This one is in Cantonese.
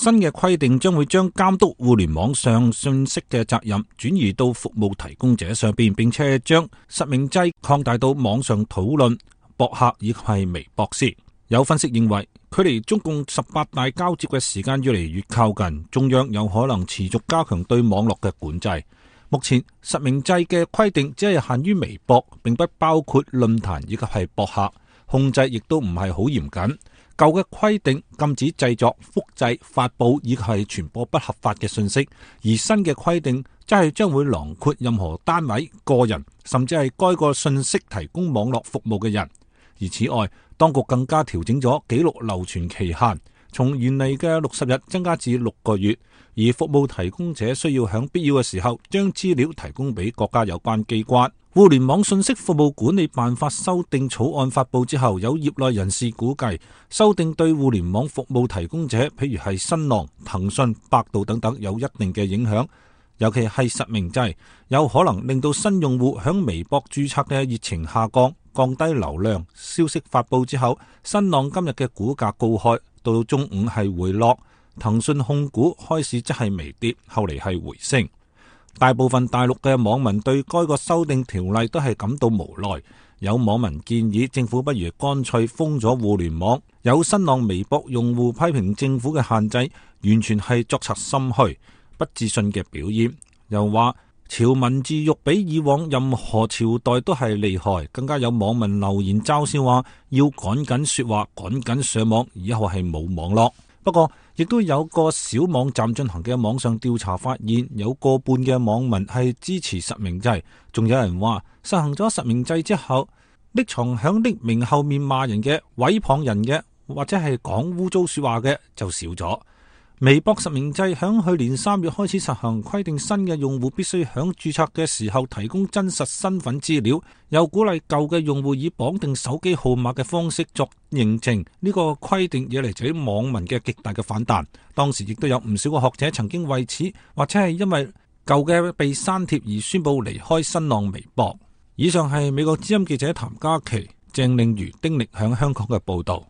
新嘅規定將會將監督互聯網上信息嘅責任轉移到服務提供者上邊，並且將實名制擴大到網上討論、博客以及係微博時。有分析認為，距離中共18大交接嘅時間越嚟越靠近，中央有可能持續加強對網絡嘅管制。目前實名制嘅規定只係限於微博，並不包括論壇以及係博客，控制亦都唔係好嚴謹。舊嘅規定禁止製作、複製、發佈以及係傳播不合法嘅信息，而新嘅規定則係將會囊括任何單位、個人，甚至係該個信息提供網絡服務嘅人。而此外，當局更加調整咗記錄流傳期限，從原嚟嘅60日增加至6個月，而服務提供者需要喺必要嘅時候將資料提供俾國家有關機關。互聯網信息服務管理辦法修訂草案發佈之後，有業內人士估計，修訂對互聯網服務提供者，譬如係新浪、騰訊、百度等等，有一定嘅影響。尤其係實名制，有可能令到新用戶響微博註冊嘅熱情下降，降低流量。消息發佈之後，新浪今日嘅股價高開，到中午係回落。騰訊控股開始則係微跌，後嚟係回升。大部分大陸嘅網民對該個修訂條例都係感到無奈，有網民建議政府不如乾脆封咗互聯網。有新浪微博用戶批評政府嘅限制完全係作賊心虛、不自信嘅表現，又話潮文字獄比以往任何朝代都係厲害，更加有網民留言嘲笑話要趕緊說話、趕緊上網，以後係冇網絡。不過，亦都有個小網站進行嘅網上調查發現，有過半嘅網民係支持實名制，仲有人話實行咗實名制之後，匿藏響匿名後面罵人嘅、毀謗人嘅，或者係講污糟說話嘅就少咗。微博實名制響去年3月開始實行，規定新嘅用戶必須響註冊嘅時候提供真實身份資料，又鼓勵舊嘅用戶以綁定手機號碼嘅方式作認證。呢個規定惹嚟咗網民嘅極大嘅反彈。當時亦都有唔少嘅學者曾經為此或者係因為舊嘅被刪帖而宣布離開新浪微博。以上係美國之音記者譚嘉琪、鄭令如、丁力響香港嘅報道。